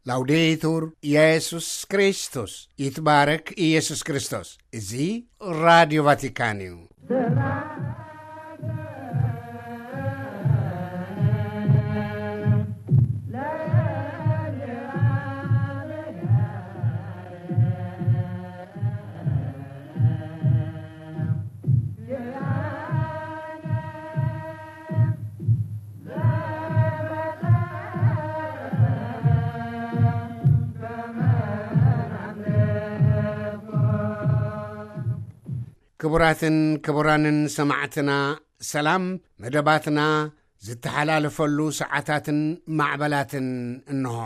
ላውዴቱር ኢየሱስ ክርስቶስ፣ ይትባረክ ኢየሱስ ክርስቶስ። እዚ ራዲዮ ቫቲካን እዩ። ክቡራትን ክቡራንን ሰማዕትና፣ ሰላም። መደባትና ዝተሓላለፈሉ ሰዓታትን ማዕበላትን እንሆ።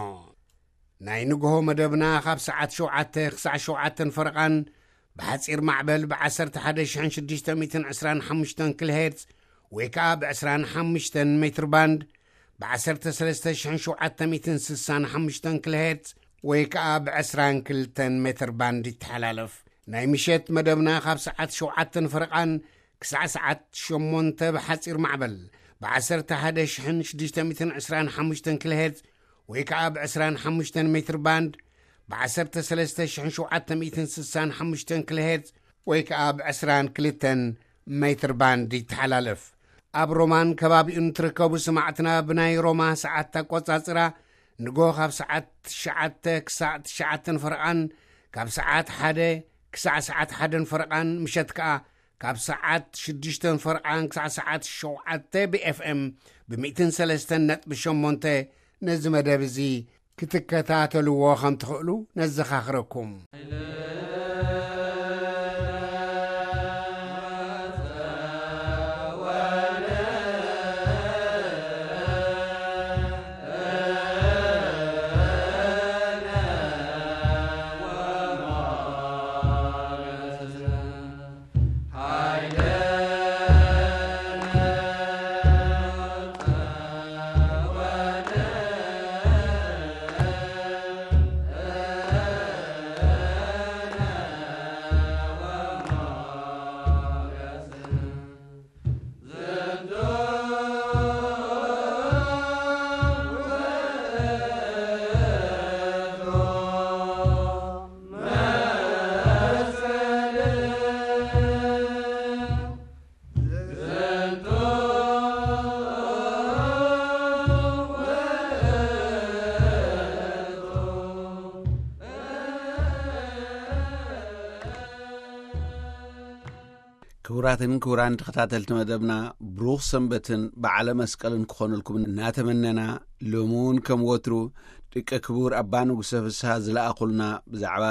ናይ ንግሆ መደብና ካብ ሰዓት ሸውዓተ ክሳዕ ሸውዓተን ፈረቓን ብሓጺር ማዕበል ብ11,625 ኪሎ ሄርትዝ ወይ ከኣ ብ25 ሜትር ባንድ፣ ብ13,765 ኪሎ ሄርትዝ ወይ ከኣ ብ22 ሜትር ባንድ ይተሓላለፍ። ናይ ምሸት መደብና ካብ ሰዓት ሸውዓተን ፈረቓን ክሳዕ ሰዓት ሸሞንተ ብሓጺር ማዕበል ብ11,625 ኪሎ ሄርትዝ ወይ ከኣ ብ25 ሜትር ባንድ፣ ብ13,765 ኪሎ ሄርትዝ ወይ ከኣ ብ22 ሜትር ባንድ ይተሓላለፍ። ኣብ ሮማን ከባቢኡን ትርከቡ ሰማዕትና፣ ብናይ ሮማ ሰዓት ኣቆጻጽራ ንጎ ካብ ሰዓት ትሽዓተ ክሳዕ ትሽዓተን ፈረቓን፣ ካብ ሰዓት ሓደ ክሳዕ ሰዓት ሓደን ፈረቓን፣ ምሸት ከኣ ካብ ሰዓት ሽዱሽተን ፈረቓን ክሳዕ ሰዓት ሸውዓተ ብ ኤፍ ኤም ብ103.8 ነዚ መደብ እዚ ክትከታተልዎ ከም ትኽእሉ ነዘኻኽረኩም። ክቡራትን ክቡራን ተኸታተልቲ መደብና፣ ብሩኽ ሰንበትን በዓለ መስቀልን ክኾነልኩም እናተመነና፣ ሎሚ እውን ከም ወትሩ ደቂ ክቡር ኣባ ንጉሰ ፍስሃ ዝለኣኹልና ብዛዕባ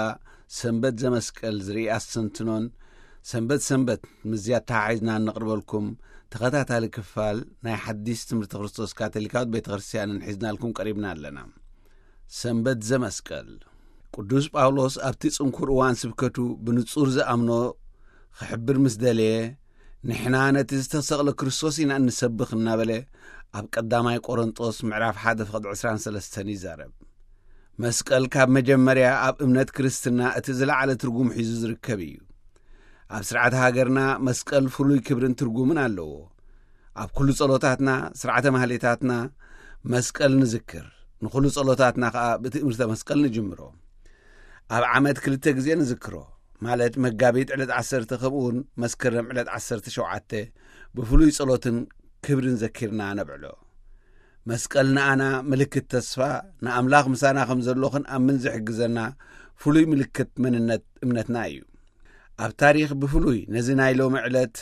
ሰንበት ዘመስቀል ዝርኢ ኣስተንትኖን፣ ሰንበት ሰንበት ምስዚ ኣተሓሒዝና እነቕርበልኩም ተኸታታሊ ክፋል ናይ ሓዲስ ትምህርቲ ክርስቶስ ካቶሊካዊት ቤተ ክርስቲያንን ሒዝናልኩም ቀሪብና ኣለና። ሰንበት ዘመስቀል። ቅዱስ ጳውሎስ ኣብቲ ጽንኩር እዋን ስብከቱ ብንጹር ዝኣምኖ ክሕብር ምስ ደለየ፣ "ንሕና ነቲ ዝተሰቕለ ክርስቶስ ኢና እንሰብኽ" እናበለ ኣብ ቀዳማይ ቆሮንጦስ ምዕራፍ ሓደ ፍቕዲ ዕስራን ሰለስተን ይዛረብ። መስቀል ካብ መጀመርያ ኣብ እምነት ክርስትና እቲ ዝለዓለ ትርጉም ሒዙ ዝርከብ እዩ። ኣብ ስርዓት ሃገርና መስቀል ፍሉይ ክብርን ትርጉምን ኣለዎ። ኣብ ኩሉ ጸሎታትና፣ ስርዓተ ማህሌታትና መስቀል ንዝክር። ንኹሉ ጸሎታትና ከኣ ብትእምርተ መስቀል ንጅምሮ። ኣብ ዓመት ክልተ ግዜ ንዝክሮ፣ ማለት መጋቢት ዕለት ዓሰርተ ከምኡውን መስከረም ዕለት ዓሰርተ ሸውዓተ ብፍሉይ ጸሎትን ክብርን ዘኪርና ነብዕሎ። መስቀል ንኣና ምልክት ተስፋ፣ ንኣምላኽ ምሳና ከም ዘሎ ክንኣምን ዝሕግዘና ፍሉይ ምልክት መንነት እምነትና እዩ። ኣብ ታሪኽ ብፍሉይ ነዚ ናይ ሎሚ ዕለት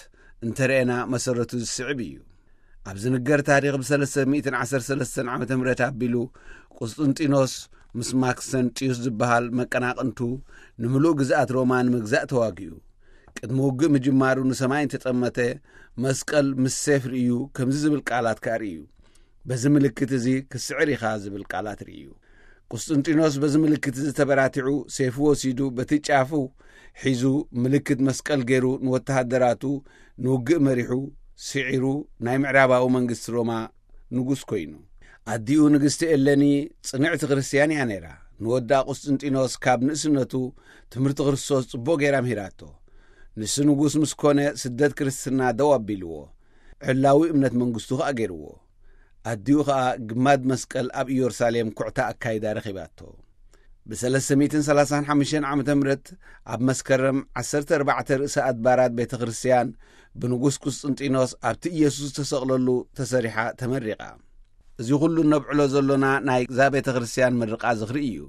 እንተረኤና መሰረቱ ዝስዕብ እዩ። ኣብ ዝንገር ታሪኽ ብ313 ዓመተ ምህረት ኣቢሉ ቁስጥንጢኖስ ምስ ማክሰንጢዩስ ዝበሃል መቀናቕንቱ ንምሉእ ግዝኣት ሮማ ንምግዛእ ተዋጊኡ። ቅድሚ ውግእ ምጅማሩ ንሰማይ እንተጠመተ መስቀል ምስ ሴፍ ርእዩ ከምዚ ዝብል ቃላት ከኣ ርእዩ። "በዚ ምልክት እዚ ክስዕር ኢኻ" ዝብል ቃላት ርእዩ። ቁስጥንጢኖስ በዚ ምልክት እዚ ተበራቲዑ ሴፉ ወሲዱ በቲ ጫፉ ሒዙ ምልክት መስቀል ገይሩ ንወተሃደራቱ ንውግእ መሪሑ ስዒሩ ናይ ምዕራባዊ መንግስቲ ሮማ ንጉስ ኮይኑ። ኣዲኡ ንግስቲ ኤለኒ ጽንዕቲ ክርስትያን እያ ነይራ። ንወዳ ቁስጥንጢኖስ ካብ ንእስነቱ ትምህርቲ ክርስቶስ ጽቡቕ ገይራ ምሂራቶ። ንሱ ንጉስ ምስ ኮነ ስደት ክርስትና ደው ኣቢልዎ። ዕላዊ እምነት መንግስቱ ከኣ ገይርዎ። ኣዲኡ ኸኣ ግማድ መስቀል ኣብ ኢየሩሳሌም ኩዕታ ኣካይዳ ረኺባቶ። ብ335 ዓመተ ምህረት ኣብ መስከረም ዓሰርተ ኣርባዕተ ርእሰ ኣድባራት ቤተ ክርስቲያን ብንጉስ ቁስጥንጢኖስ ኣብቲ ኢየሱስ ዝተሰቕለሉ ተሰሪሓ ተመሪቓ። እዚ ኹሉ ነብዕሎ ዘሎና ናይ እዛ ቤተ ክርስቲያን ምርቓ ዝኽሪ እዩ።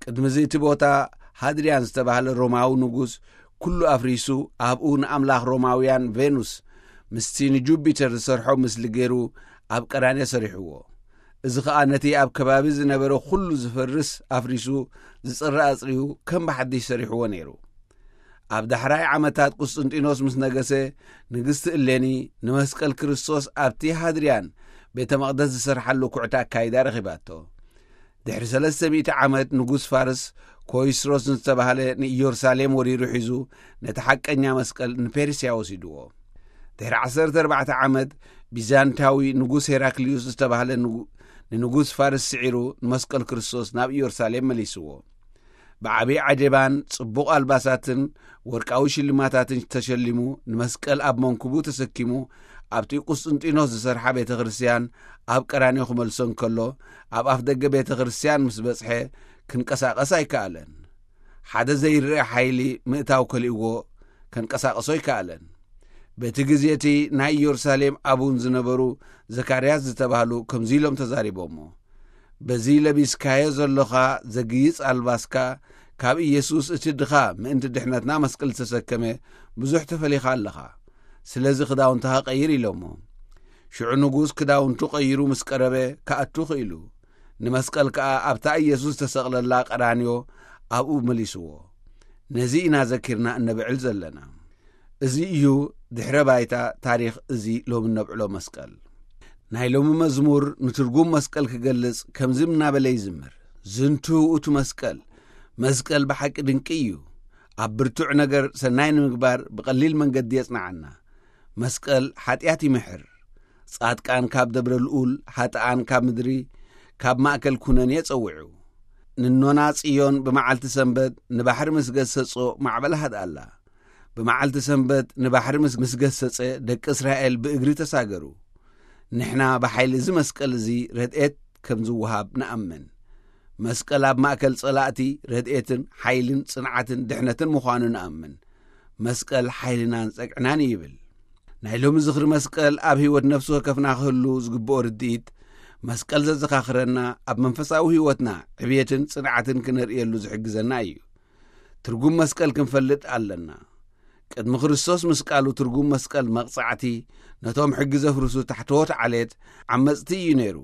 ቅድሚ እዚ እቲ ቦታ ሃድርያን ዝተባህለ ሮማዊ ንጉስ ኩሉ ኣፍሪሱ ኣብኡ ንኣምላኽ ሮማውያን ቬኑስ ምስቲ ንጁፒተር ዝሰርሖ ምስሊ ገይሩ ኣብ ቀራንዮ ሰሪሕዎ። እዚ ኸኣ ነቲ ኣብ ከባቢ ዝነበረ ኩሉ ዝፈርስ ኣፍሪሱ ዝጽረ ኣጽርዩ ከም ብሓድሽ ሰሪሕዎ ነይሩ። ኣብ ዳሕራይ ዓመታት ቁስጥንጢኖስ ምስ ነገሰ፣ ንግስቲ እሌኒ ንመስቀል ክርስቶስ ኣብቲ ሃድርያን ቤተ መቕደስ ዝሰርሓሉ ኩዕታ ኣካይዳ ረኺባቶ። ድሕሪ ሰለስተ ሚእቲ ዓመት ንጉስ ፋርስ ኮይስሮስ ዝተባህለ ንኢየሩሳሌም ወሪሩ ሒዙ ነቲ ሓቀኛ መስቀል ንፔርስያ ወሲድዎ። ድሕሪ ዓሰርተ ኣርባዕተ ዓመት ቢዛንታዊ ንጉስ ሄራክልዩስ ዝተባህለ ንጉ-፣ ንንጉስ ፋርስ ስዒሩ ንመስቀል ክርስቶስ ናብ ኢየሩሳሌም መሊስዎ። ብዓብዪ ዓጀባን ጽቡቕ ኣልባሳትን ወርቃዊ ሽልማታትን ተሸሊሙ ንመስቀል ኣብ መንኩቡ ተሰኪሙ ኣብቲ ቁስጥንጢኖስ ዝሰርሓ ቤተ ክርስቲያን ኣብ ቀራንዮ ክመልሶ እንከሎ ኣብ ኣፍ ደገ ቤተ ክርስቲያን ምስ በጽሐ ክንቀሳቐስ ኣይከኣለን። ሓደ ዘይረአ ሓይሊ ምእታው ከሊእዎ ከንቀሳቕሶ ኣይከኣለን። በቲ ግዜ እቲ ናይ ኢየሩሳሌም ኣቡን ዝነበሩ ዘካርያስ ዝተባህሉ ከምዚ ኢሎም ተዛሪቦሞ። በዚ ለቢስካዮ ዘሎኻ ዘግይጽ ኣልባስካ ካብ ኢየሱስ እቲ ድኻ ምእንቲ ድሕነትና መስቀል ዝተሰከመ ብዙሕ ተፈሊኻ ኣለኻ። ስለዚ ክዳውንትኻ ቀይር ኢሎሞ። ሽዑ ንጉስ ክዳውንቱ ቀይሩ ምስ ቀረበ ክኣቱ ክኢሉ። ንመስቀል ከኣ ኣብታ ኢየሱስ ዝተሰቕለላ ቀራንዮ ኣብኡ መሊስዎ። ነዚ ኢና ዘኪርና እነብዕል ዘለና። እዚ እዩ ድሕረ ባይታ ታሪኽ እዚ ሎሚ እነብዕሎ መስቀል። ናይ ሎሚ መዝሙር ንትርጉም መስቀል ክገልጽ ከምዚ እናበለ ይዝምር። ዝንቱ ውእቱ መስቀል፣ መስቀል ብሓቂ ድንቂ እዩ። ኣብ ብርቱዕ ነገር ሰናይ ንምግባር ብቐሊል መንገዲ የጽንዓና። መስቀል ሓጢኣት ይምሕር። ጻድቃን ካብ ደብረ ልኡል፣ ሓጥኣን ካብ ምድሪ፣ ካብ ማእከል ኩነኔ ጸዊዑ። ንኖና ጽዮን ብመዓልቲ ሰንበት ንባሕሪ ምስ ገሰጾ ማዕበል ሃድኣላ። ብመዓልቲ ሰንበት ንባሕሪ ምስ፣ ምስ ገሰጸ ደቂ እስራኤል ብእግሪ ተሳገሩ። ንሕና ብሓይሊ እዚ መስቀል እዚ ረድኤት ከም ዝወሃብ ንኣምን። መስቀል ኣብ ማእከል ጸላእቲ ረድኤትን ሓይልን ጽንዓትን ድሕነትን ምዃኑ ንኣምን። መስቀል ሓይልናን ጸግዕናን እዩ ይብል። ናይ ሎሚ ዝኽሪ መስቀል ኣብ ህይወት ነፍሲ ወከፍና ክህሉ ዝግብኦ ርድኢት፣ መስቀል ዘዘኻኽረና ኣብ መንፈሳዊ ህይወትና ዕብየትን ጽንዓትን ክነርእየሉ ዝሕግዘና እዩ። ትርጉም መስቀል ክንፈልጥ ኣለና። ቅድሚ ክርስቶስ ምስቃሉ ትርጉም መስቀል መቕጻዕቲ፣ ነቶም ሕጊ ዘፍርሱ ታሕተዎት ዓሌት ዓመጽቲ እዩ ነይሩ።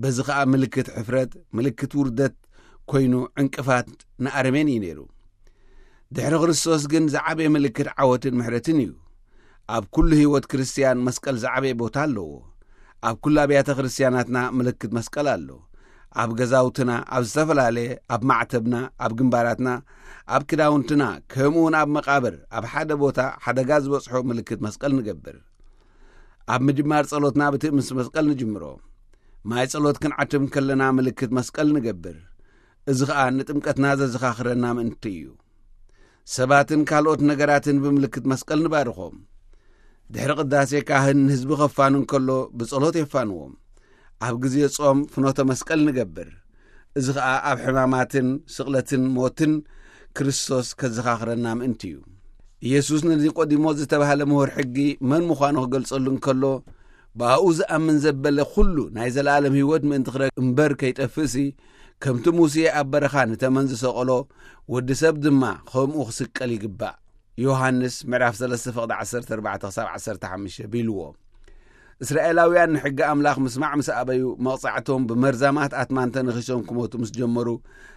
በዚ ኸኣ ምልክት ሕፍረት፣ ምልክት ውርደት ኮይኑ ዕንቅፋት ንኣረሜን እዩ ነይሩ። ድሕሪ ክርስቶስ ግን ዝዓበየ ምልክት ዓወትን ምሕረትን እዩ። ኣብ ኩሉ ህይወት ክርስትያን መስቀል ዝዓበየ ቦታ ኣለዎ። ኣብ ኩሉ ኣብያተ ክርስትያናትና ምልክት መስቀል ኣሎ። ኣብ ገዛውትና፣ ኣብ ዝተፈላለየ፣ ኣብ ማዕተብና፣ ኣብ ግንባራትና፣ ኣብ ክዳውንትና፣ ከምኡውን ኣብ መቓብር፣ ኣብ ሓደ ቦታ ሓደጋ ዝበጽሖ ምልክት መስቀል ንገብር። ኣብ ምጅማር ጸሎትና ብትእምስ መስቀል ንጅምሮ። ማይ ጸሎት ክንዓትብ ከለና ምልክት መስቀል ንገብር። እዚ ኸኣ ንጥምቀትና ዘዘኻኽረና ምእንቲ እዩ። ሰባትን ካልኦት ነገራትን ብምልክት መስቀል ንባርኾም። ድሕሪ ቅዳሴ ካህን ንህዝቢ ኸፋኑ እንከሎ ብጸሎት የፋንዎም። ኣብ ግዜ ጾም ፍኖተ መስቀል ንገብር። እዚ ኸኣ ኣብ ሕማማትን ስቕለትን ሞትን ክርስቶስ ከዘኻኽረና ምእንቲ እዩ። ኢየሱስ ንኒቆዲሞስ ዝተባህለ ምሁር ሕጊ መን ምዃኑ ክገልጸሉ እንከሎ፣ ብኣኡ ዝኣምን ዘበለ ኩሉ ናይ ዘለኣለም ህይወት ምእንቲ ክረክብ እምበር ከይጠፍእሲ፣ ከምቲ ሙሴ ኣብ በረኻ ንተመን ዝሰቐሎ፣ ወዲ ሰብ ድማ ኸምኡ ክስቀል ይግባእ። ዮሃንስ ምዕራፍ ሰለስተ ፍቕዲ ዓሰርተ ኣርባዕተ ክሳብ ዓሰርተ ሓሙሽተ ቢልዎ። እስራኤላውያን ንሕጊ ኣምላኽ ምስማዕ ምስ ኣበዩ፣ መቕጻዕቶም ብመርዛማት ኣትማን ተነኺሶም ክሞቱ ምስ ጀመሩ፣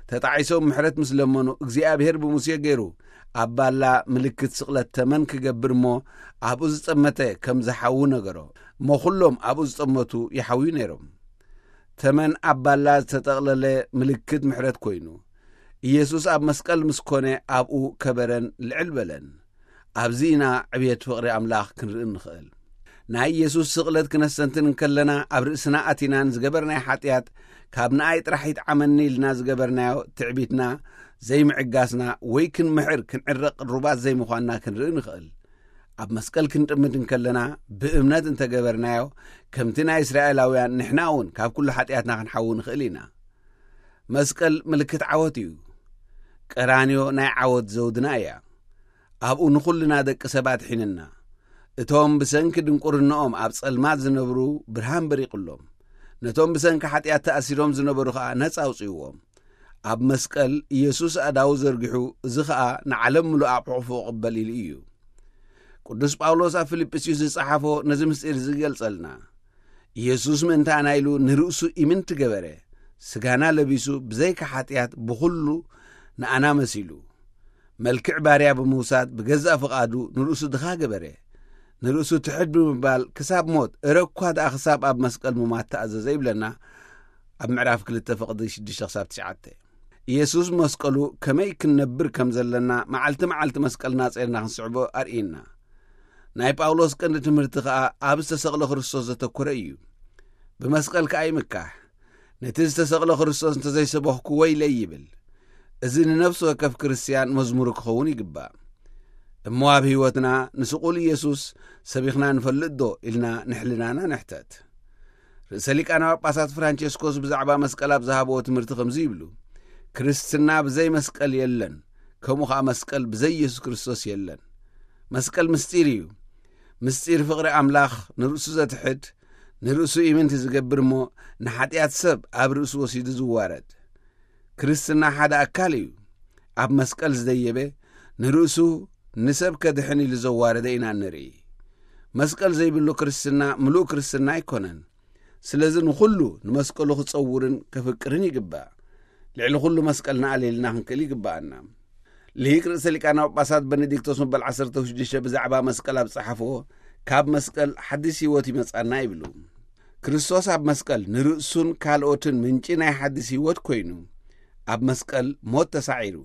ተጣዒሶም ምሕረት ምስ ለመኑ፣ እግዚኣብሔር ብሙሴ ገይሩ ኣብ ባላ ምልክት ስቕለት ተመን ክገብር እሞ፣ ኣብኡ ዝጠመተ ከም ዝሓዊ ነገሮ። እሞ ኩሎም ኣብኡ ዝጠመቱ ይሓውዩ ነይሮም። ተመን ኣብ ባላ ዝተጠቕለለ ምልክት ምሕረት ኮይኑ፣ ኢየሱስ ኣብ መስቀል ምስ ኮነ ኣብኡ ከበረን ልዕል በለን። ኣብዚ ኢና ዕብየት ፍቕሪ ኣምላኽ ክንርኢ እንኽእል። ናይ ኢየሱስ ስቕለት ክነስተንትን እንከለና፣ ኣብ ርእስና ኣቲና ንዝገበርናዮ ሓጢኣት፣ ካብ ንኣይ ጥራሕ ይጥዓመኒ ኢልና ዝገበርናዮ ትዕቢትና፣ ዘይምዕጋስና፣ ወይ ክንምሕር ክንዕረቕ ርባት ዘይምዃንና ክንርኢ ንኽእል። ኣብ መስቀል ክንጥምድ እንከለና ብእምነት እንተገበርናዮ፣ ከምቲ ናይ እስራኤላውያን ንሕና እውን ካብ ኩሉ ሓጢኣትና ክንሓዊ ንኽእል ኢና። መስቀል ምልክት ዓወት እዩ። ቀራንዮ ናይ ዓወት ዘውድና እያ። ኣብኡ ንኹልና ደቂ ሰባት ሒንና። እቶም ብሰንኪ ድንቁርናኦም ኣብ ጸልማት ዝነብሩ ብርሃን በሪቑሎም። ነቶም ብሰንኪ ሓጢኣት ተኣሲሮም ዝነበሩ ኸኣ ነጻ ኣውጽእዎም። ኣብ መስቀል ኢየሱስ ኣእዳዉ ዘርጊሑ፣ እዚ ኸኣ ንዓለም ምሉእ ኣብ ሕቑፉ እቕበል ኢሉ እዩ። ቅዱስ ጳውሎስ ኣብ ፊልጵስዩስ ዝጸሓፎ ነዚ ምስጢር እዚ ይገልጸልና። ኢየሱስ ምእንታና ኢሉ ንርእሱ ኢምንቲ ገበረ። ስጋና ለቢሱ ብዘይካ ሓጢኣት ብኹሉ ንኣና መሲሉ። መልክዕ ባርያ ብምውሳድ ብገዛእ ፍቓዱ ንርእሱ ድኻ ገበረ። ንርእሱ ትሕት ብምባል ክሳብ ሞት፣ እረ እኳ ደኣ ክሳብ ኣብ መስቀል ምማት ተኣዘዘ ይብለና ኣብ ምዕራፍ ክልተ ፍቕዲ ሽዱሽተ ክሳብ ትሽዓተ። ኢየሱስ መስቀሉ ከመይ ክንነብር ከም ዘለና መዓልቲ መዓልቲ መስቀልና ጼርና ክንስዕቦ ኣርእየና። ናይ ጳውሎስ ቀንዲ ትምህርቲ ከኣ ኣብ ዝተሰቕለ ክርስቶስ ዘተኮረ እዩ። ብመስቀል ከኣ ይምካሕ። ነቲ ዝተሰቕለ ክርስቶስ እንተዘይሰበኽኩ ወይለይ ይብል። እዚ ንነፍሲ ወከፍ ክርስትያን መዝሙሩ ክኸውን ይግባእ። እሞ ኣብ ህይወትና ንስቑል ኢየሱስ ሰቢኽና ንፈልጥ ዶ ኢልና ንሕልናና ንሕተት። ርእሰ ሊቃነ ጳጳሳት ፍራንቸስኮስ ብዛዕባ መስቀል ኣብ ዝሃብዎ ትምህርቲ ከምዚ ይብሉ፣ ክርስትና ብዘይ መስቀል የለን፣ ከምኡ ኸኣ መስቀል ብዘይ ኢየሱስ ክርስቶስ የለን። መስቀል ምስጢር እዩ። ምስጢር ፍቕሪ ኣምላኽ ንርእሱ ዘትሕድ፣ ንርእሱ ኢምንቲ ዝገብር እሞ ንሓጢኣት ሰብ ኣብ ርእሱ ወሲዱ ዝዋረድ። ክርስትና ሓደ ኣካል እዩ። ኣብ መስቀል ዝደየበ ንርእሱ ንሰብ ከድሕን ኢሉ ዘዋረደ ኢና ንርኢ። መስቀል ዘይብሉ ክርስትና ምሉእ ክርስትና ኣይኮነን። ስለዚ ንኹሉ ንመስቀሉ ክጸውርን ከፍቅርን ይግባእ። ልዕሊ ኩሉ መስቀልና ኣልዒልና ክንክእል ይግባኣና። ሊቅ ርእሰ ሊቃነ ጳጳሳት በነዲክቶስ መበል ዓሰርተ ሽዱሽተ ብዛዕባ መስቀል ኣብ ጸሓፍዎ፣ ካብ መስቀል ሓድሽ ህይወት ይመጻና ይብሉ። ክርስቶስ ኣብ መስቀል ንርእሱን ካልኦትን ምንጪ ናይ ሓድሽ ህይወት ኮይኑ፣ ኣብ መስቀል ሞት ተሳዒሩ፣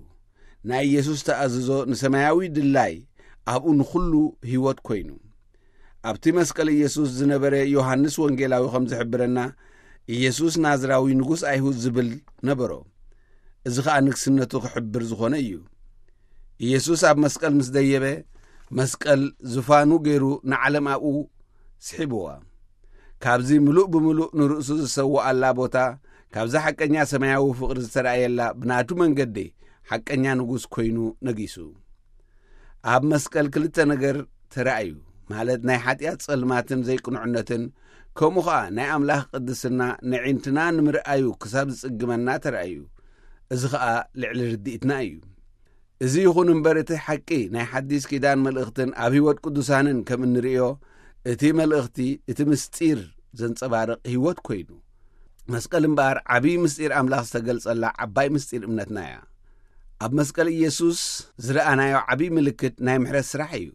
ናይ ኢየሱስ ተኣዝዞ ንሰማያዊ ድላይ ኣብኡ ንኹሉ ህይወት ኮይኑ። ኣብቲ መስቀል ኢየሱስ ዝነበረ ዮሃንስ ወንጌላዊ ከም ዝሕብረና፣ ኢየሱስ ናዝራዊ ንጉስ ኣይሁድ ዝብል ነበሮ። እዚ ኸኣ ንግስነቱ ክሕብር ዝኾነ እዩ። ኢየሱስ ኣብ መስቀል ምስ ደየበ፣ መስቀል ዙፋኑ ገይሩ ንዓለም ኣብኡ ስሒብዋ። ካብዚ ምሉእ ብምሉእ ንርእሱ ዝሰውኣላ ቦታ፣ ካብዛ ሓቀኛ ሰማያዊ ፍቕሪ ዝተራእየላ ብናቱ መንገዲ ሓቀኛ ንጉስ ኮይኑ ነጊሱ። ኣብ መስቀል ክልተ ነገር ተራእዩ፣ ማለት ናይ ሓጢኣት ጸልማትን ዘይቅኑዕነትን፣ ከምኡ ኸኣ ናይ ኣምላኽ ቅድስና ንዒንትና ንምርኣዩ ክሳብ ዝጽግመና ተራእዩ። እዚ ኸኣ ልዕሊ ርድኢትና እዩ። እዚ ይኹን እምበር፣ እቲ ሓቂ ናይ ሓዲስ ኪዳን መልእኽትን ኣብ ህይወት ቅዱሳንን ከም እንርእዮ፣ እቲ መልእኽቲ፣ እቲ ምስጢር ዘንጸባርቕ ህይወት ኮይኑ። መስቀል እምበኣር ዓብዪ ምስጢር ኣምላኽ ዝተገልጸላ ዓባይ ምስጢር እምነትና እያ። ኣብ መስቀል ኢየሱስ ዝረኣናዮ ዓብዪ ምልክት ናይ ምሕረት ስራሕ እዩ።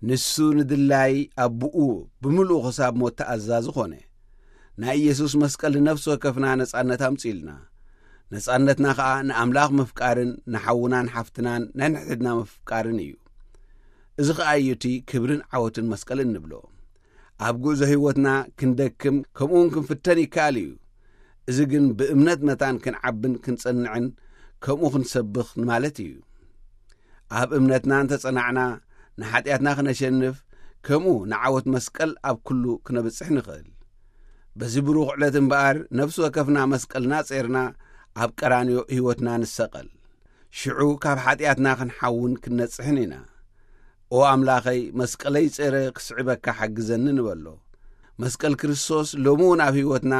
ንሱ ንድላይ ኣቦኡ ብምሉኡ ክሳብ ሞት ተኣዛዚ ኾነ። ናይ ኢየሱስ መስቀል ንነፍሲ ወከፍና ነጻነት ኣምጺኡልና። ነጻነትና ኸኣ ንኣምላኽ ምፍቃርን ንሓውናን ሓፍትናን ነንሕድሕድና ምፍቃርን እዩ። እዚ ኸኣ እዩ እቲ ክብርን ዓወትን መስቀል እንብሎ። ኣብ ጉዕዞ ህይወትና ክንደክም ከምኡውን ክንፍተን ይከኣል እዩ። እዚ ግን ብእምነት መታን ክንዓብን ክንጸንዕን ከምኡ ክንሰብኽ ማለት እዩ። ኣብ እምነትና እንተጸናዕና ንሓጢኣትና ክነሸንፍ፣ ከምኡ ንዓወት መስቀል ኣብ ኩሉ ክነብጽሕ ንኽእል። በዚ ብሩኽ ዕለት እምበኣር ነፍሲ ወከፍና መስቀልና ጼርና ኣብ ቀራንዮ ህይወትና ንሰቐል። ሽዑ ካብ ሓጢኣትና ክንሓውን ክንነጽሕን ኢና። ኦ ኣምላኸይ፣ መስቀለይ ጸረ ክስዕበካ ሓግዘኒ ንበሎ። መስቀል ክርስቶስ ሎሚ እውን ኣብ ህይወትና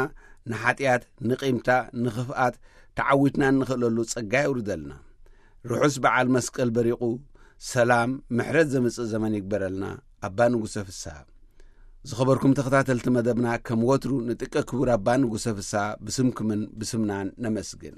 ንሓጢኣት፣ ንቂምታ፣ ንኽፍኣት ተዓዊትና እንኽእለሉ ጸጋ የውርደልና። ርሑስ በዓል መስቀል በሪቑ ሰላም፣ ምሕረት ዘምጽእ ዘመን ይግበረልና። ኣባ ንጉሰ ፍስሃ። ዝኸበርኩም ተኸታተልቲ መደብና፣ ከም ወትሩ ንጥቀ ክቡር ኣባ ንጉሰ ፍስሃ ብስምኩምን ብስምናን ነመስግን።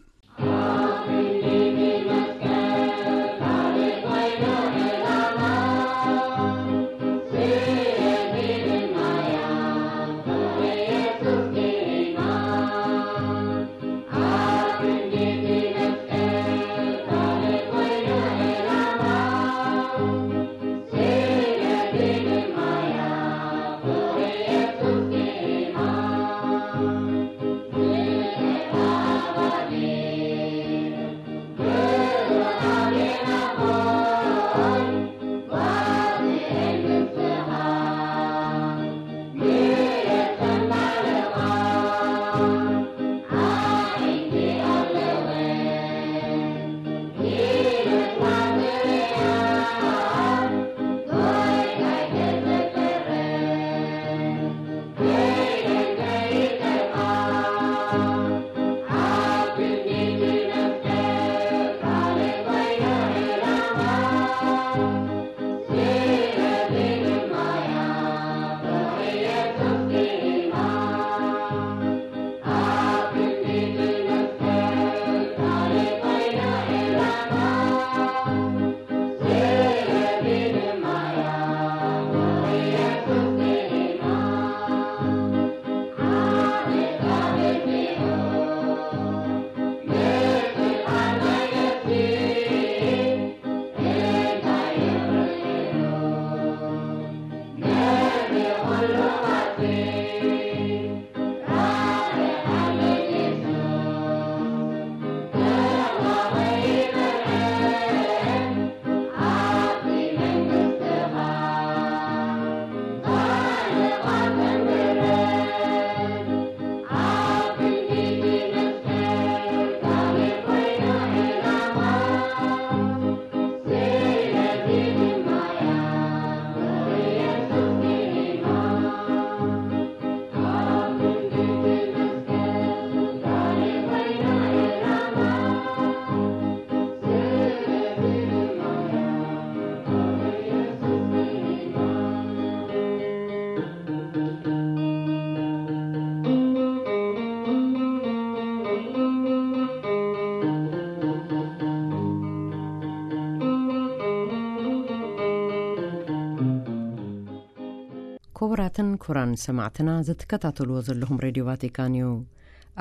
ክቡራትን ክቡራን ሰማዕትና፣ ዝትከታተልዎ ዘለኹም ሬድዮ ቫቲካን እዩ።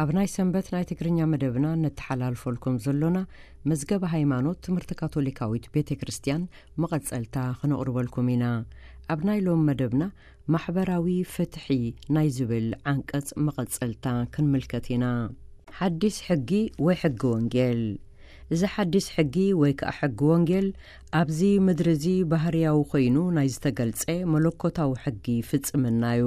ኣብ ናይ ሰንበት ናይ ትግርኛ መደብና ነተሓላልፈልኩም ዘሎና መዝገበ ሃይማኖት ትምህርቲ ካቶሊካዊት ቤተ ክርስቲያን መቐጸልታ ክነቕርበልኩም ኢና። ኣብ ናይ ሎም መደብና ማሕበራዊ ፍትሒ ናይ ዝብል ዓንቀጽ መቐጸልታ ክንምልከት ኢና። ሓዲስ ሕጊ ወይ ሕጊ ወንጌል። እዚ ሓዲስ ሕጊ ወይ ከኣ ሕጊ ወንጌል ኣብዚ ምድሪ እዚ ባህርያዊ ኮይኑ ናይ ዝተገልጸ መለኮታዊ ሕጊ ፍጽምና እዩ።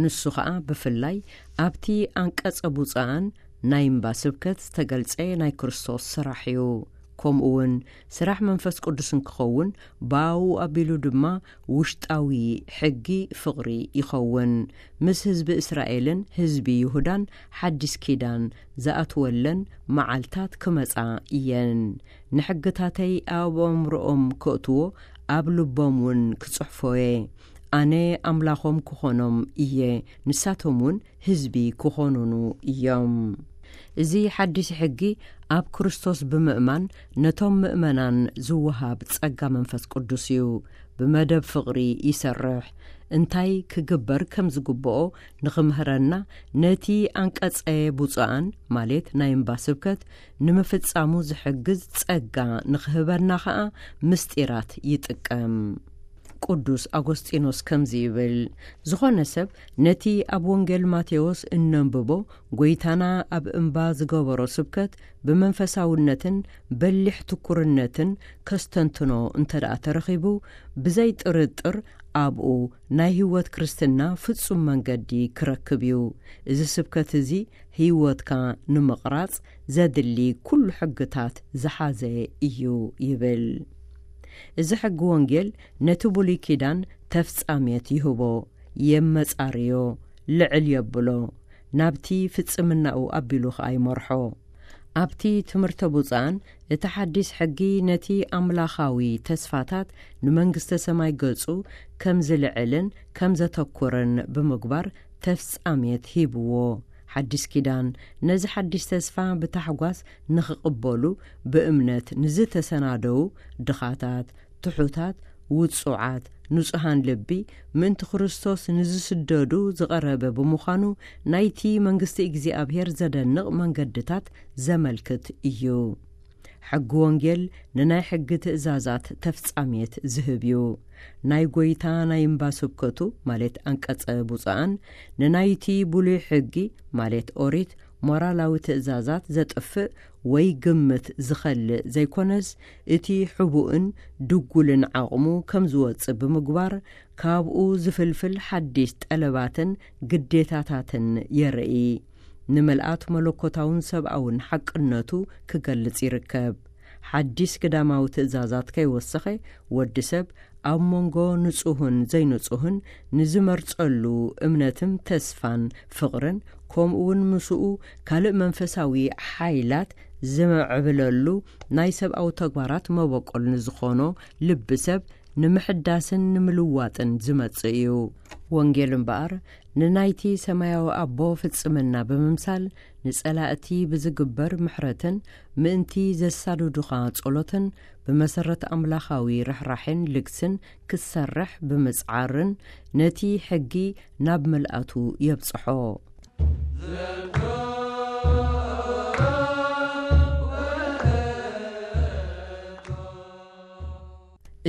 ንሱ ኸኣ ብፍላይ ኣብቲ ኣንቀጸ ብፁዓን ናይ እምባ ስብከት ዝተገልጸ ናይ ክርስቶስ ስራሕ እዩ። ከምኡ እውን ስራሕ መንፈስ ቅዱስ እንክኸውን፣ ብኣኡ ኣቢሉ ድማ ውሽጣዊ ሕጊ ፍቕሪ ይኸውን። ምስ ህዝቢ እስራኤልን ህዝቢ ይሁዳን ሓዲስ ኪዳን ዝኣትወለን መዓልታት ክመጻ እየን። ንሕግታተይ ኣብ ኣእምሮኦም ከእትዎ፣ ኣብ ልቦም እውን ክጽሕፎ እየ። ኣነ ኣምላኾም ክኾኖም እየ፣ ንሳቶም እውን ህዝቢ ክኾኑኑ እዮም። እዚ ሓዲስ ሕጊ ኣብ ክርስቶስ ብምእማን ነቶም ምእመናን ዝወሃብ ጸጋ መንፈስ ቅዱስ እዩ። ብመደብ ፍቕሪ ይሰርሕ። እንታይ ክግበር ከም ዝግብኦ ንኽምህረና፣ ነቲ ኣንቀጸ ብፁዓን፣ ማለት ናይ እምባ ስብከት፣ ንምፍጻሙ ዝሕግዝ ጸጋ ንኽህበና ኸኣ ምስጢራት ይጥቀም። ቅዱስ ኣጎስጢኖስ ከምዚ ይብል፣ ዝኾነ ሰብ ነቲ ኣብ ወንጌል ማቴዎስ እነንብቦ ጐይታና ኣብ እምባ ዝገበሮ ስብከት ብመንፈሳውነትን በሊሕ ትኩርነትን ከስተንትኖ እንተ ደኣ ተረኺቡ፣ ብዘይ ጥርጥር ኣብኡ ናይ ህይወት ክርስትና ፍጹም መንገዲ ክረክብ እዩ። እዚ ስብከት እዚ ህይወትካ ንምቕራጽ ዘድሊ ኩሉ ሕግታት ዝሓዘ እዩ ይብል። እዚ ሕጊ ወንጌል ነቲ ብሉይ ኪዳን ተፍጻሜት ይህቦ፣ የመጻርዮ፣ ልዕል የብሎ፣ ናብቲ ፍጽምናኡ ኣቢሉ ኸኣ ይመርሖ። ኣብቲ ትምህርተ ብፁዓን እቲ ሓዲስ ሕጊ ነቲ ኣምላኻዊ ተስፋታት ንመንግስተ ሰማይ ገጹ ከም ዝልዕልን ከም ዘተኩርን ብምግባር ተፍጻሜት ሂብዎ። ሓዲስ ኪዳን ነዚ ሓዲስ ተስፋ ብታሕጓስ ንኽቕበሉ ብእምነት ንዝተሰናደዉ ድኻታት፣ ትሑታት፣ ውጹዓት፣ ንጹሃን ልቢ፣ ምእንቲ ክርስቶስ ንዝስደዱ ዝቐረበ ብምዃኑ፣ ናይቲ መንግስቲ እግዚኣብሔር ዘደንቕ መንገድታት ዘመልክት እዩ። ሕጊ ወንጌል ንናይ ሕጊ ትእዛዛት ተፍጻሜት ዝህብ እዩ። ናይ ጐይታ ናይ እምባ ስብከቱ፣ ማለት ኣንቀጸ ብፁዓን፣ ንናይቲ ብሉይ ሕጊ፣ ማለት ኦሪት፣ ሞራላዊ ትእዛዛት ዘጥፍእ ወይ ግምት ዝኸልእ ዘይኮነስ፣ እቲ ሕቡእን ድጉልን ዓቕሙ ከም ዝወጽእ ብምግባር፣ ካብኡ ዝፍልፍል ሓዲስ ጠለባትን ግዴታታትን የርኢ። ንምልኣት መለኮታውን ሰብኣውን ሓቅነቱ ክገልጽ ይርከብ። ሓዲስ ግዳማዊ ትእዛዛት ከይወሰኸ፣ ወዲ ሰብ ኣብ መንጎ ንጹህን ዘይንጹህን ንዝመርጸሉ እምነትን ተስፋን ፍቕርን፣ ከምኡ እውን ምስኡ ካልእ መንፈሳዊ ሓይላት ዝምዕብለሉ ናይ ሰብኣዊ ተግባራት መበቆል ንዝኾኖ ልቢ ሰብ ንምሕዳስን ንምልዋጥን ዝመጽእ እዩ። ወንጌል እምበኣር ንናይቲ ሰማያዊ ኣቦ ፍጽምና ብምምሳል፣ ንጸላእቲ ብዝግበር ምሕረትን ምእንቲ ዘሳድዱኻ ጸሎትን፣ ብመሰረት ኣምላኻዊ ርሕራሕን ልግስን ክትሰርሕ ብምጽዓርን፣ ነቲ ሕጊ ናብ ምልኣቱ የብጽሖ።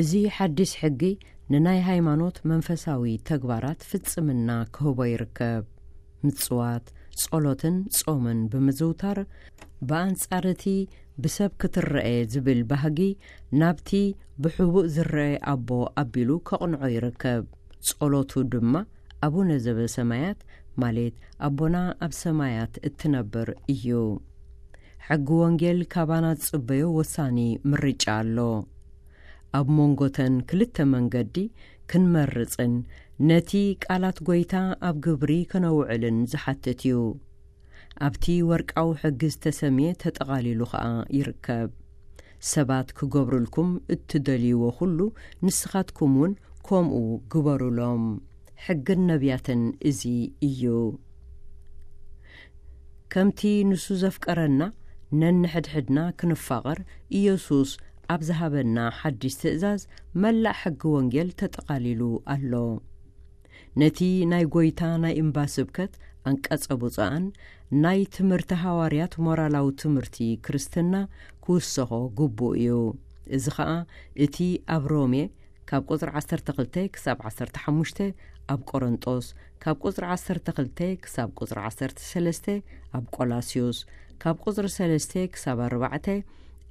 እዚ ሓድሽ ሕጊ ንናይ ሃይማኖት መንፈሳዊ ተግባራት ፍጽምና ክህቦ ይርከብ። ምጽዋት፣ ጸሎትን ጾምን ብምዝውታር፣ ብኣንጻር እቲ ብሰብ ክትረኤ ዝብል ባህጊ፣ ናብቲ ብሕቡእ ዝረኤ ኣቦ ኣቢሉ ከቕንዖ ይርከብ። ጸሎቱ ድማ ኣቡነ ዘበሰማያት፣ ማለት ኣቦና ኣብ ሰማያት እትነብር እዩ። ሕጊ ወንጌል ካባና ዝጽበዮ ወሳኒ ምርጫ ኣሎ። ኣብ መንጎተን ክልተ መንገዲ ክንመርጽን ነቲ ቃላት ጐይታ ኣብ ግብሪ ከነውዕልን ዝሓትት እዩ። ኣብቲ ወርቃዊ ሕጊ ዝተሰምየ ተጠቓሊሉ ኸኣ ይርከብ። ሰባት ክገብሩልኩም እትደልይዎ ኹሉ ንስኻትኩም እውን ከምኡ ግበሩሎም። ሕግን ነቢያትን እዚ እዩ። ከምቲ ንሱ ዘፍቀረና ነንሕድሕድና ክንፋቐር ኢየሱስ ኣብ ዝሃበና ሓድሽ ትእዛዝ መላእ ሕጊ ወንጌል ተጠቓሊሉ ኣሎ። ነቲ ናይ ጐይታ ናይ እምባ ስብከት፣ ኣንቀጸ ብፁዓን፣ ናይ ትምህርቲ ሃዋርያት ሞራላዊ ትምህርቲ ክርስትና ክውሰኾ ግቡእ እዩ። እዚ ኸኣ እቲ ኣብ ሮሜ ካብ ቁጽሪ ዓሰርተ ክልተ ክሳብ ዓሰርተ ሓሙሽተ፣ ኣብ ቆሮንጦስ ካብ ቁጽሪ ዓሰርተ ክልተ ክሳብ ቁጽሪ ዓሰርተ ሰለስተ፣ ኣብ ቆላስዮስ ካብ ቁጽሪ ሰለስተ ክሳብ ኣርባዕተ፣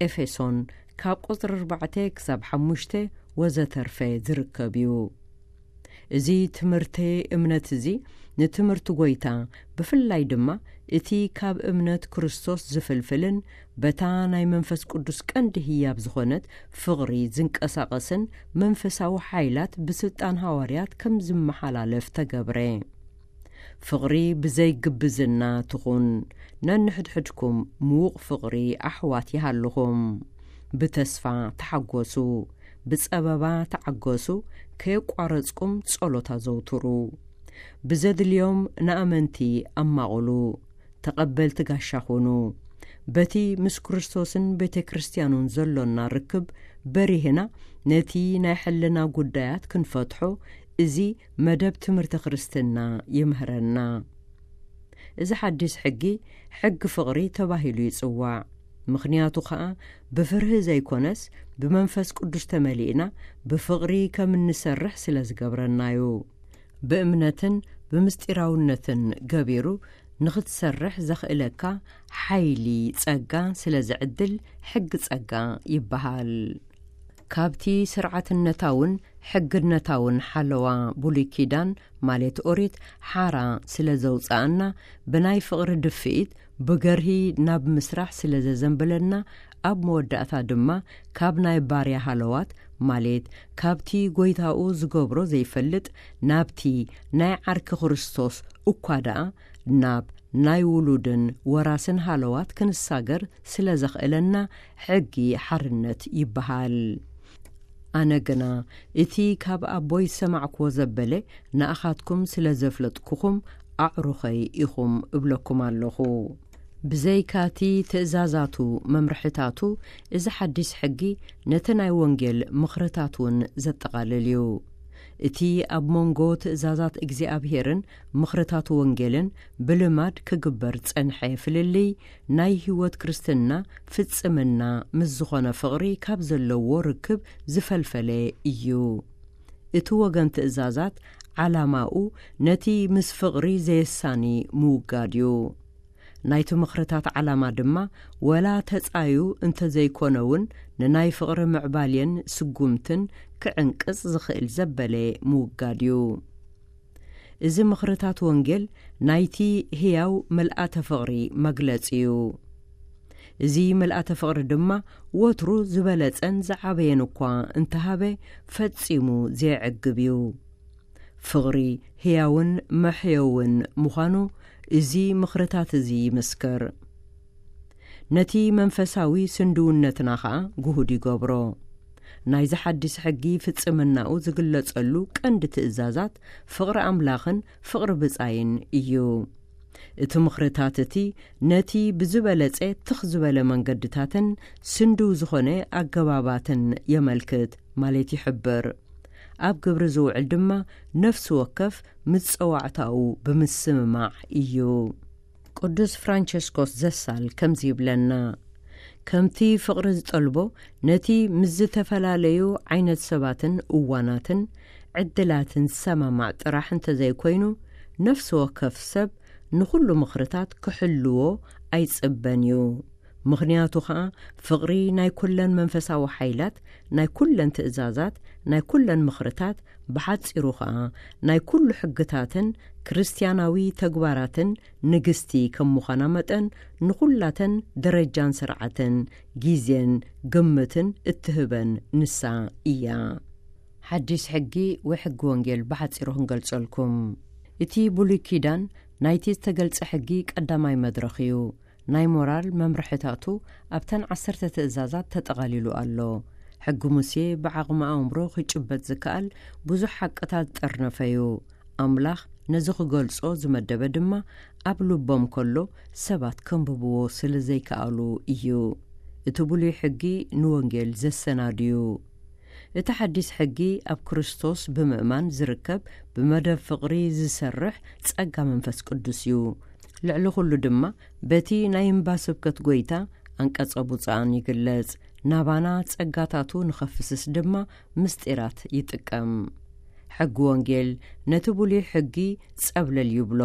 ኤፌሶን ካብ ቁጽሪ ኣርባዕተ ክሳብ ሓሙሽተ ወዘተርፈ ዝርከብ እዩ። እዚ ትምህርቲ እምነት እዚ ንትምህርቲ ጐይታ፣ ብፍላይ ድማ እቲ ካብ እምነት ክርስቶስ ዝፍልፍልን በታ ናይ መንፈስ ቅዱስ ቀንዲ ህያብ ዝኾነት ፍቕሪ ዝንቀሳቐስን መንፈሳዊ ሓይላት ብስልጣን ሃዋርያት ከም ዝመሓላለፍ ተገብረ። ፍቕሪ ብዘይ ግብዝና ትኹን። ነንሕድሕድኩም ምዉቕ ፍቕሪ ኣሕዋት ይሃልኹም። ብተስፋ ተሓጎሱ፣ ብጸበባ ተዓገሱ፣ ከየቋረጽኩም ጸሎት ኣዘውትሩ። ብዘድልዮም ንኣመንቲ ኣማቕሉ፣ ተቐበልቲ ጋሻ ኹኑ። በቲ ምስ ክርስቶስን ቤተ ክርስቲያኑን ዘሎና ርክብ በሪህና ነቲ ናይ ሕልና ጉዳያት ክንፈትሖ እዚ መደብ ትምህርቲ ክርስትና ይምህረና። እዚ ሓዲስ ሕጊ፣ ሕጊ ፍቕሪ ተባሂሉ ይጽዋዕ። ምኽንያቱ ኸኣ ብፍርሂ ዘይኮነስ ብመንፈስ ቅዱስ ተመሊእና ብፍቕሪ ከም እንሰርሕ ስለ ዝገብረናዩ። ብእምነትን ብምስጢራውነትን ገቢሩ ንኽትሰርሕ ዘኽእለካ ሓይሊ ጸጋ ስለ ዝዕድል ሕጊ ጸጋ ይበሃል። ካብቲ ስርዓትነታውን ሕግነታውን ሓለዋ ብሉይ ኪዳን ማለት ኦሪት ሓራ ስለ ዘውጽኣና፣ ብናይ ፍቕሪ ድፍኢት ብገርሂ ናብ ምስራሕ ስለ ዘዘንብለና፣ ኣብ መወዳእታ ድማ ካብ ናይ ባርያ ሃለዋት ማለት ካብቲ ጐይታኡ ዝገብሮ ዘይፈልጥ ናብቲ ናይ ዓርኪ ክርስቶስ እኳ ደኣ ናብ ናይ ውሉድን ወራስን ሃለዋት ክንሳገር ስለ ዘኽእለና ሕጊ ሓርነት ይበሃል። ኣነ ግና እቲ ካብ ኣቦይ ዝሰማዕክዎ ዘበለ ንኣኻትኩም ስለ ዘፍለጥኩኹም ኣዕሩኸይ ኢኹም እብለኩም ኣለኹ። ብዘይካቲ ትእዛዛቱ መምርሕታቱ፣ እዚ ሓዲስ ሕጊ ነቲ ናይ ወንጌል ምኽርታት እውን ዘጠቓልል እዩ። እቲ ኣብ መንጎ ትእዛዛት እግዚኣብሄርን ምኽርታት ወንጌልን ብልማድ ክግበር ጸንሐ ፍልልይ ናይ ህይወት ክርስትና ፍጽምና ምስ ዝኾነ ፍቕሪ ካብ ዘለዎ ርክብ ዝፈልፈለ እዩ። እቲ ወገን ትእዛዛት ዓላማኡ ነቲ ምስ ፍቕሪ ዘየሳኒ ምውጋድ እዩ። ናይቲ ምኽርታት ዓላማ ድማ ወላ ተጻዩ እንተዘይኮነ እውን ንናይ ፍቕሪ ምዕባልየን ስጉምትን ክዕንቅጽ ዝኽእል ዘበለ ምውጋድ እዩ። እዚ ምኽርታት ወንጌል ናይቲ ህያው ምልኣተ ፍቕሪ መግለጺ እዩ። እዚ ምልኣተ ፍቕሪ ድማ ወትሩ ዝበለጸን ዝዓበየን እኳ እንተሃበ ፈጺሙ ዘየዕግብ እዩ። ፍቕሪ ህያውን መሕየውን ምዃኑ እዚ ምኽርታት እዚ ይምስክር። ነቲ መንፈሳዊ ስንድውነትና ኸኣ ግሁድ ይገብሮ። ናይዚ ሓዲስ ሕጊ ፍጽምናኡ ዝግለጸሉ ቀንዲ ትእዛዛት ፍቕሪ ኣምላኽን ፍቕሪ ብጻይን እዩ። እቲ ምኽርታት እቲ ነቲ ብዝበለጸ ትኽ ዝበለ መንገድታትን ስንድው ዝኾነ ኣገባባትን የመልክት ማለት ይሕብር። ኣብ ግብሪ ዝውዕል ድማ ነፍሲ ወከፍ ምስ ጸዋዕታኡ ብምስምማዕ እዩ። ቅዱስ ፍራንቸስኮስ ዘሳል ከምዚ ይብለና፣ ከምቲ ፍቕሪ ዝጠልቦ ነቲ ምስ ዝተፈላለዩ ዓይነት ሰባትን እዋናትን ዕድላትን ዝሰማማዕ ጥራሕ እንተዘይኮይኑ፣ ነፍሲ ወከፍ ሰብ ንኹሉ ምኽርታት ክሕልዎ ኣይጽበን እዩ። ምኽንያቱ ኸኣ ፍቕሪ ናይ ኩለን መንፈሳዊ ሓይላት፣ ናይ ኩለን ትእዛዛት፣ ናይ ኩለን ምኽርታት፣ ብሓጺሩ ኸኣ ናይ ኩሉ ሕግታትን ክርስትያናዊ ተግባራትን ንግስቲ ከም ምዃና መጠን ንኹላተን ደረጃን ስርዓትን ግዜን ግምትን እትህበን ንሳ እያ። ሓዲስ ሕጊ ወይ ሕጊ ወንጌል ብሓጺሩ ክንገልጸልኩም። እቲ ብሉይ ኪዳን ናይቲ ዝተገልጸ ሕጊ ቀዳማይ መድረኽ እዩ። ናይ ሞራል መምርሕታቱ ኣብተን ዓሰርተ ትእዛዛት ተጠቓሊሉ ኣሎ። ሕጊ ሙሴ ብዓቕሚ ኣእምሮ ክጭበጥ ዝከኣል ብዙሕ ሓቅታት ዝጠርነፈ እዩ። ኣምላኽ ነዚ ክገልጾ ዝመደበ ድማ ኣብ ልቦም ከሎ ሰባት ከንብብዎ ስለ ዘይከኣሉ እዩ። እቲ ብሉይ ሕጊ ንወንጌል ዘሰናድዩ። እቲ ሓዲስ ሕጊ ኣብ ክርስቶስ ብምእማን ዝርከብ፣ ብመደብ ፍቕሪ ዝሰርሕ ጸጋ መንፈስ ቅዱስ እዩ። ልዕሊ ኩሉ ድማ በቲ ናይ እምባ ስብከት ጎይታ፣ ኣንቀጸ ብፁዓን ይግለጽ። ናባና ጸጋታቱ ንኸፍስስ ድማ ምስጢራት ይጥቀም። ሕጊ ወንጌል ነቲ ብሉይ ሕጊ ጸብለል ይብሎ፣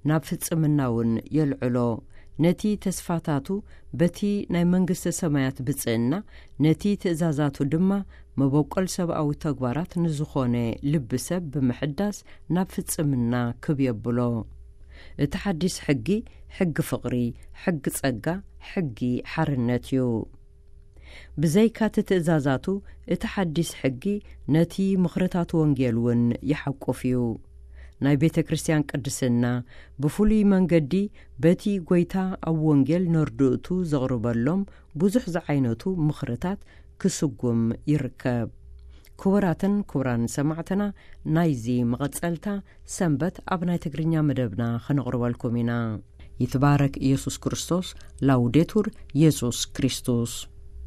ናብ ፍጽምና እውን የልዕሎ። ነቲ ተስፋታቱ በቲ ናይ መንግስተ ሰማያት ብጽእና፣ ነቲ ትእዛዛቱ ድማ መበቆል ሰብኣዊ ተግባራት ንዝኾነ ልቢ ሰብ ብምሕዳስ ናብ ፍጽምና ክብ የብሎ። እቲ ሓዲስ ሕጊ፣ ሕጊ ፍቕሪ፣ ሕጊ ጸጋ፣ ሕጊ ሓርነት እዩ። ብዘይካ እቲ ትእዛዛቱ፣ እቲ ሓዲስ ሕጊ ነቲ ምኽርታት ወንጌል እውን ይሓቁፍ እዩ። ናይ ቤተ ክርስቲያን ቅድስና ብፍሉይ መንገዲ በቲ ጎይታ ኣብ ወንጌል ነርድእቱ ዘቕርበሎም ብዙሕ ዝዓይነቱ ምኽርታት ክስጉም ይርከብ። ክቡራትን ክቡራን ሰማዕትና፣ ናይዚ መቐጸልታ ሰንበት ኣብ ናይ ትግርኛ መደብና ከነቕርበልኩም ኢና። ይትባረክ ኢየሱስ ክርስቶስ። ላውዴቱር ኢየሱስ ክርስቶስ።